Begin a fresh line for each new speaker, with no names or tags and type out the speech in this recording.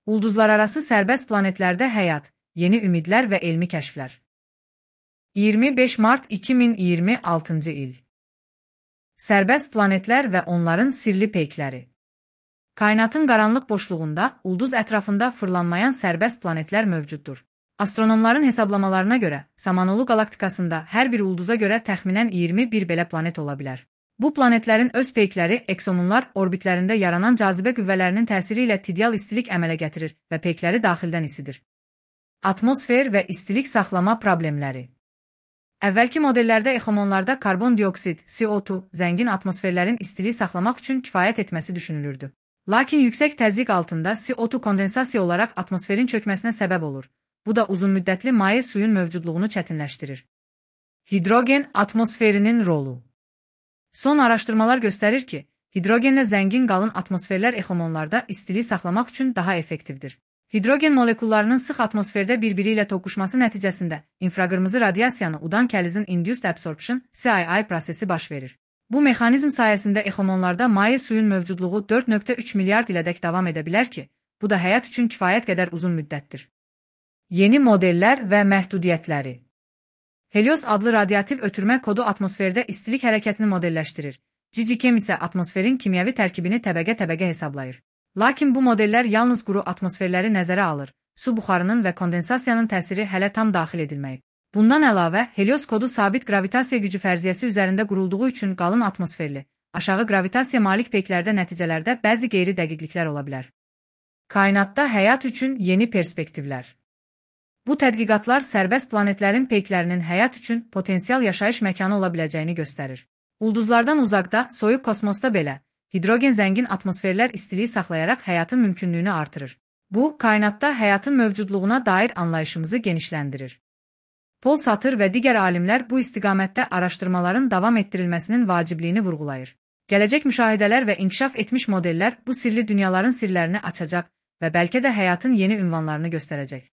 Ulduzlararası sərbəst planetlərdə həyat, yeni ümidlər və elmi kəşflər. 25 mart 2026-cı il. Sərbəst planetlər və onların sirli peykləri. Kainatın qaranlıq boşluğunda, ulduz ətrafında fırlanmayan sərbəst planetlər mövcuddur. Astronomların hesablamalarına görə, Samanolu qalaktikasında hər bir ulduza görə təxminən 21 belə planet ola bilər. Bu planetlərin öz peykləri eksomunlar orbitlərində yaranan cazibə qüvvələrinin təsiri ilə tidyal istilik əmələ gətirir və peykləri daxildən isidir. Atmosfer və istilik saxlama problemləri. Əvvəlki modellərdə exomonlarda karbon dioksid, CO2, zəngin atmosferlərin istiliyi saxlamaq üçün kifayət etməsi düşünülürdü. Lakin yüksək təzyiq altında CO2 kondensasiya olaraq atmosferin çökməsinə səbəb olur. Bu da uzunmüddətli maye suyun mövcudluğunu çətinləşdirir. Hidrogen atmosferinin rolu. Son araşdırmalar göstərir ki, hidrogenlə zəngin qalın atmosferlər exomonlarda istiliyi saxlamaq üçün daha effektivdir. Hidrogen molekullarının sıx atmosferdə bir-biri ilə toqquşması nəticəsində infraqırmızı radiasiyanı udan kəlizin induced absorption (CII) prosesi baş verir. Bu mexanizm sayəsində exomonlarda maye suyun mövcudluğu 4,3 milyard ilədək davam edə bilər ki, bu da həyat üçün kifayət qədər uzun müddətdir. Yeni modellər və məhdudiyyətləri. Helios adlı radioaktiv ötürmə kodu atmosferdə istilik hərəkətini modelləşdirir. GGChem isə atmosferin kimyəvi tərkibini təbəqə-təbəqə hesablayır. Lakin bu modellər yalnız quru atmosferləri nəzərə alır. Su buxarının və kondensasiyanın təsiri hələ tam daxil edilməyib. Bundan əlavə, Helios kodu sabit gravitasiya gücü fərziyyəsi üzərində qurulduğu üçün qalın atmosferli, aşağı gravitasiya malik peyklərdə nəticələrdə bəzi qeyri-dəqiqliklər ola bilər. Kainatda həyat üçün yeni perspektivlər. Bu tədqiqatlar sərbəst planetlərin peyklərinin həyat üçün potensial yaşayış məkanı ola biləcəyini göstərir. Ulduzlardan uzaqda, soyuq kosmosda belə, hidrogen zəngin atmosferlər istiliyi saxlayaraq həyatın mümkünlüyünü artırır. Bu, kainatda həyatın mövcudluğuna dair anlayışımızı genişləndirir. Paul Satır və digər alimlər bu istiqamətdə araşdırmaların davam etdirilməsinin vacibliyini vurğulayır. Gələcək müşahidələr və inkişaf etmiş modellər bu sirli dünyaların sirlərini açacaq və bəlkə də həyatın yeni ünvanlarını göstərəcək.